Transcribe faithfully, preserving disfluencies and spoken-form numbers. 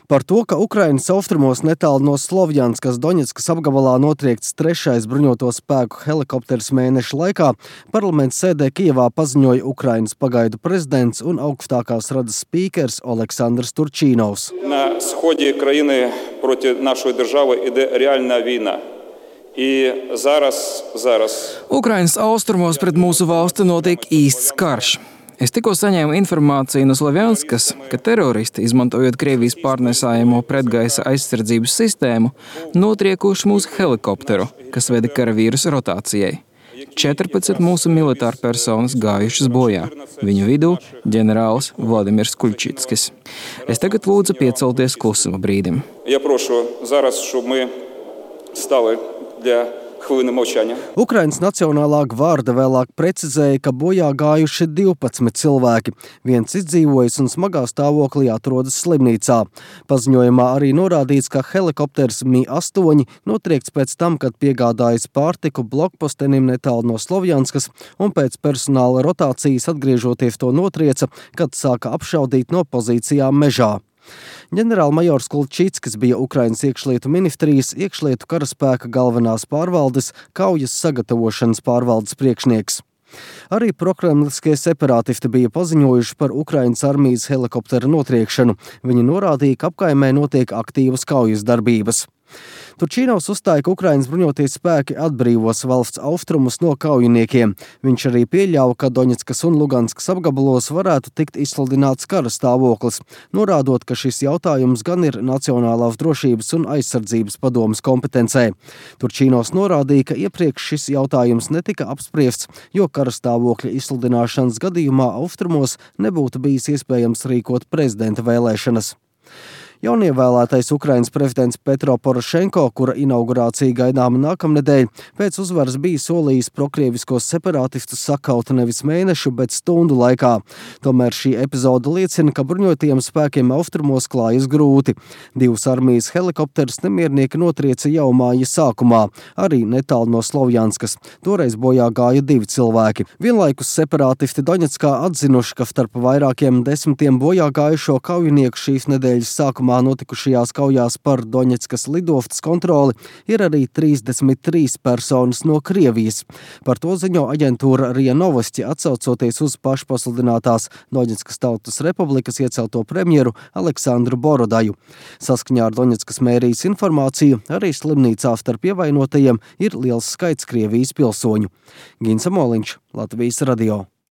Par to, ka Ukrainas austrumos netālu no Slovjanskas Doņetskas apgabalā notriekts trešais bruņoto spēku helikopters mēneša laikā, parlamenta sēdē Kijevā paziņoja Ukrainas pagaidu prezidents un augstākās radas spīkers Oleksandrs Turčīnovs. На сході країни проти нашої держави іде реальна війна. І зараз, зараз. Ukrainas austrumos pret mūsu valsti notiek īsts karš. Es tikko saņēmu informāciju no Slovjanskas, ka teroristi, izmantojot Krievijas pārnesājamo pretgaisa aizsardzības sistēmu, notriekuši mūsu helikopteru, kas veda karavīrus rotācijai. četrpadsmit mūsu militāru personas gājušas bojā. Viņu vidū ģenerālis Vladimirs Kuļčitskis. Es tagad lūdzu piecelties klusuma brīdim. Я прошу зараз, щоб ми стали для хвилини мовчання. Ukrainas Nacionālā gvarde vēlāk precizēja, ka bojā gājuši divpadsmit cilvēki. Viens izdzīvojis un smagā stāvoklī atrodas slimnīcā. Paziņojumā arī norādīts, ka helikopters M I astoņi notriekts pēc tam, kad piegādājis pārtiku blokpostenim netālu no Slovjanskas un pēc personāla rotācijas atgriežoties to notrieca, kad sāka apšaudīt no pozīcijām mežā. Ģenerālmajors Kuļčitskis bija Ukrainas iekšlietu ministrijas iekšlietu karaspēka galvenās pārvaldes kaujas sagatavošanas pārvaldes priekšnieks. Arī prokremliskie separātisti bija paziņojuši par Ukrainas armijas helikoptera notriekšanu. Viņi norādīja, ka apkaimē notiek aktīvas kaujas darbības. Turčīnovs uzstāja, ka Ukrainas bruņotie spēki atbrīvos valsts austrumus no kaujiniekiem. Viņš arī pieļāva, ka Doņetskas un Luganskas apgabalos varētu tikt izsludināts kara stāvoklis, norādot, ka šis jautājums gan ir Nacionālās drošības un aizsardzības padomes kompetencē. Turčīnovs norādīja, ka iepriekš šis jautājums netika apspriests, jo kara stāvokļa izsludināšanas gadījumā austrumos nebūtu bijis iespējams rīkot prezidenta vēlēšanas. Jaunievēlētais Ukrainas prezidents Petro Porošenko, kura inaugurācija gaidāma nākamnedēļ, pēc uzvaras bija solījis prokrieviskos separātistus sakaut nevis mēnešu, bet stundu laikā. Tomēr šī epizode liecina, ka bruņotajiem spēkiem austrumos klājas grūti. Divus armijas helikopterus nemiernieki notrieca jau māja sākumā, arī netālu no Slovjanskas. Toreiz bojā gāja divi cilvēki. Vienlaikus separātisti Doņetskā atzinuši, ka starp vairākiem desmitiem bojā gājušo kaujinieku šīs nedēļas sākumā notikušajās kaujās par Doņetskas lidostas kontroli ir arī trīsdesmit trīs personas no Krievijas. Par to ziņo aģentūra RIA Novosti, atsaucoties uz pašpasludinātās Doņetskas Tautas Republikas iecelto premjeru Aleksandru Borodaju. Saskaņā ar Doņetskas mērijas informāciju arī slimnīcā starp ievainotajiem ir liels skaits Krievijas pilsoņu. Gins Amoliņš, Latvijas radio.